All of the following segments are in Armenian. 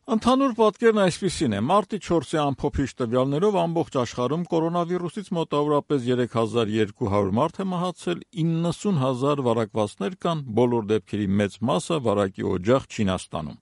Ընդհանուր պատկերն այսպիսին է. մարտի 4-ի ամփոփիչ տվյալներով ամբողջ աշխարհում կորոնավիրուսից մոտավորապես 3200 մարդ է մահացել, 90,000 վարակվածներ կան, բոլոր դեպքերի մեծ մասը վարակի օջախ Չինաստանում։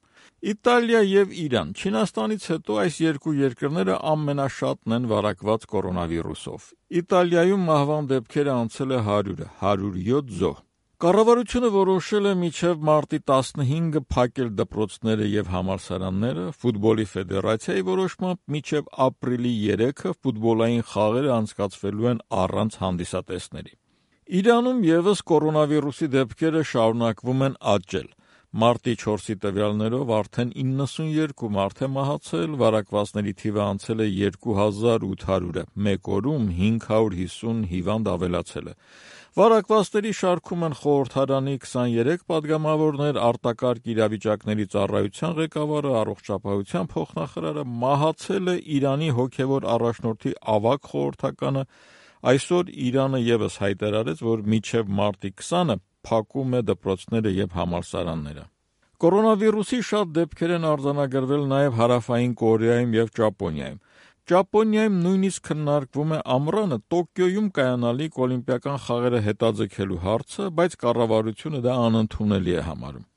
Իտալիա եւ Իրան։ Չինաստանից հետո այս երկու երկրները ամենաշատն են վարակված կորոնավիրուսով։ Իտալիայում մահվան դեպքերը անցել է 100-ը, 107 զոհ։ Կառավարությունը որոշել է մինչև մարտի 15-ը փակել դպրոցները եւ համալսարանները, ֆուտբոլի ֆեդերացիայի որոշմամբ մինչև ապրիլի 3-ը ֆուտբոլային խաղերը անցկացվելու են առանց հանդիսատեսների։ Իրանում եւս կորոնավիրուսի դեպքերը շարունակվում են աճել։ Մարտի 4-ի տվյալներով արդեն 92 մարդ է մահացել, վարակվածների թիվը անցել է 2800-ը, մեկ օրում 550 հիվանդ ավելացել է։ Վարակվածների շարքում են խորհրդարանի 23 պատգամավորներ, արտակարգ իրավիճակների ծառայության ղեկավարը, առողջապահության փոխնախարարը, մահացել է Իրանի հոգևոր առաջնորդի ավագ խորհրդականը։ Այսօր Իրանը եւս հայտարարեց, որ մինչև մարտի 20-ը փակում է դպրոցները եւ համալսարանները։ Կորոնավիրուսի շատ դեպքեր են արձանագրվել նաեւ Հարավային Կորեայում եւ Ճապոնիայում։ Ճապոնիայում նույնիսկ քննարկվում է ամռանը Տոկիոյում կայանալիք օլիմպիական խաղերը հետաձգելու հարցը, բայց կառավարությունը դա անընդունելի է համարում։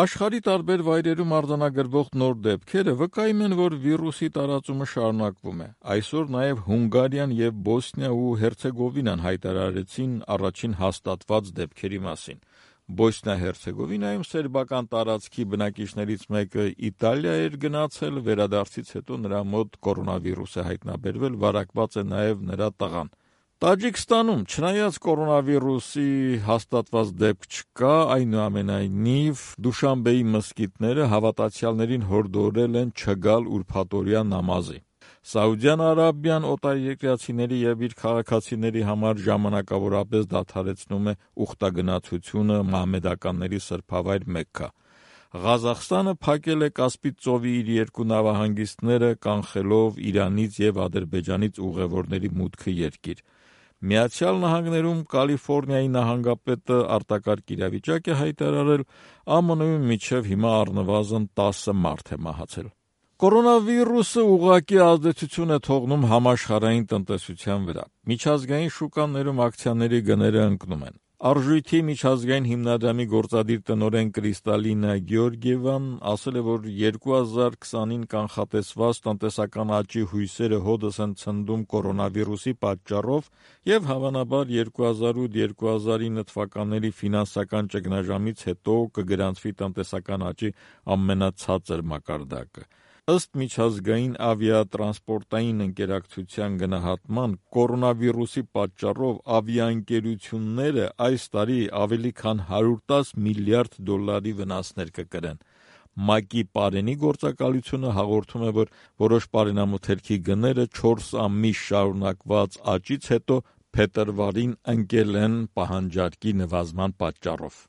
Աշխարհի տարբեր վայրերում արձանագրվող նոր դեպքերը վկայում են, որ վիրուսի տարածումը շարունակվում է։ Այսօր նաև Հունգարիան եւ Բոսնիա ու Հերցեգովինան հայտարարեցին առաջին հաստատված դեպքերի մասին։ Բոսնիա-Հերցեգովինայում սերբական տարածքի բնակիչներից մեկը Իտալիա էր գնացել, վերադարձից հետո նրա մոտ կորոնավիրուս է հայտնաբերվել, վարակված է նաև նրա տղան։ Տաջիկստանում, չնայած կորոնավիրուսի հաստատված դեպք չկա, այնուամենայնիվ Դուշանբեի մզկիթները հավատացյալներին հորդորել են չգալ ուրբաթօրյա նամազի։ Սաուդյան Արաբիան օտարերկրացիների եւ իր քաղաքացիների համար ժամանակավորապես դադարեցնում է ուխտագնացությունը մահմեդականների սրբավայր Մեքքա։ Ղազախստանը փակել է Կասպից ծովի իր երկու նավահանգիստները, կանխելով Իրանից եւ Ադրբեջանից ուղևորների մուտքը երկիր։ Միացյալ Նահանգներում Կալիֆոռնիայի նահանգապետը արտակարգ իրավիճակ է հայտարարել, ԱՄՆ-ում մինչև հիմա առնվազն 10 մարդ է մահացել։ Կորոնավիրուսը ուղղակի ազդեցություն է թողնում համաշխարհային տնտեսության վրա։ Միջազգային շուկաներում ակցիաների գները ընկնում են։ Արժույթի միջազգային հիմնադրամի գործադիր տնօրեն Կրիստալինա Գեորգիևան ասել է, որ 2020-ին կանխատեսված տնտեսական աճի հույսերը հօդս են ցնդում կորոնավիրուսի պատճառով եւ հավանաբար 2008-2009 թվականների ֆինանսական ճգնաժամից հետո կգրանցվի տնտեսական աճի ամենացածր մակարդակը։ Ըստ միջազգային ավիատրանսպորտային ընկերակցության գնահատման, կորոնավիրուսի պատճառով ավիաընկերությունները այս տարի ավելի քան 110 միլիարդ դոլարի վնասներ կկրեն։ ՄԱԿ-ի պարենի գործակալությունը հաղորդում է, որ որոշ պարենամթերքի գները 4 ամիս շարունակված աճից հետո փետրվարին ընկել են պահանջարկի նվազման պատճառով։